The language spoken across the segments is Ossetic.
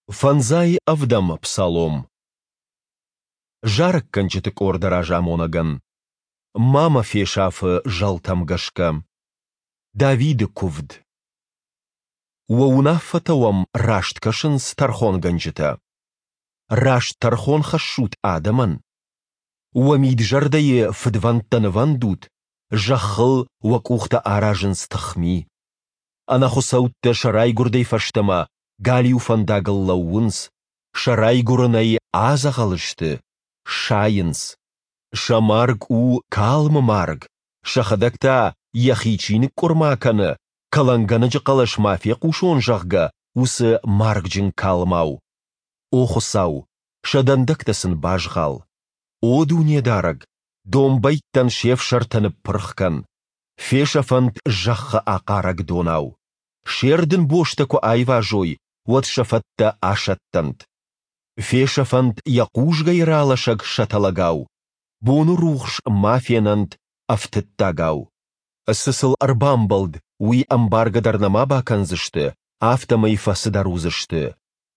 Фӕндзай ӕвдӕм псалом. Зарӕггӕнджыты къорды разамонӕгӕн. Ма мӕ фесаф-ы зӕлтӕм гӕсгӕ. Давиды куывд. Уӕ уынаффӕтӕ уӕм раст кӕсынц, тӕрхонгӕнджытӕ? Раст тӕрхон хӕссут адӕмӕн? Уӕ мид-зӕрдӕйы фыдвӕндтӕ нывӕндут, зӕххыл уӕ къухтӕ аразынц тыхми. Ӕнӕхуыцӕуттӕ сӕ райгуырдӕй фӕстӕмӕ галиу фӕндагыл лӕууынц, сӕ райгуырынӕй адзӕгъӕл сты, сайынц. Сӕ марг у калмы марг, сӕхӕдӕг та, йӕхи чи ныкъкъуырма кӕны, кӕлӕнгӕнӕджы хъӕлӕс ма фехъусон, зӕгъгӕ, уыцы маргджын калмау. О Хуыцау, сӕ дӕндӕгтӕ сын базгъал. О Дунедарӕг, домбӕйттӕн се фсӕртӕ ныппырх кӕн. Фесӕфӕнт зӕххы ахъарӕг донау. Се рдынбостӕ куы айвазой, уӕд сӕ фӕттӕ асӕттӕнт. Фесӕфӕнт йӕ хъузгӕй ралӕсӕг сӕтӕлӕгау, боны рухс ма фенӕнт ӕфтыддагау. Цы сыл ӕрбамбӕлд, уый ӕмбаргӕ дӕр нӕма бакӕндзысты, афтӕмӕй фӕцыдӕр уыдзысты.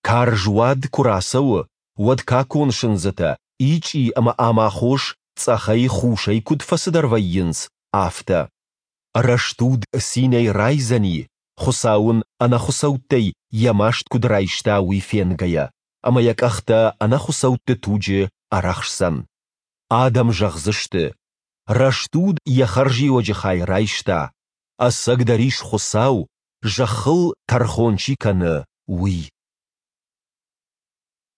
Карз уад куы рацӕуы, уӕд какон сындзытӕ, ичъи ӕмӕ амахос цъӕхӕй-хусӕй куыд фӕцыдӕр вӕййынц, афтӕ. Рӕстуд цинӕй райдзӕни, Хуыцау ын ӕнӕхуыцӕуттӕй йӕ маст куыд райста, уый фенгӕйӕ, ӕмӕ йӕ къӕхтӕ ӕнӕхуыцӕутты туджы ӕрӕхсдзӕн. Адӕм зӕгъдзысты, Рӕстуд йӕ хӕрзиуӕджы хай райста, ӕцӕгдӕр ис Хуыцау, зӕххыл тӕрхон чи кӕны, уый.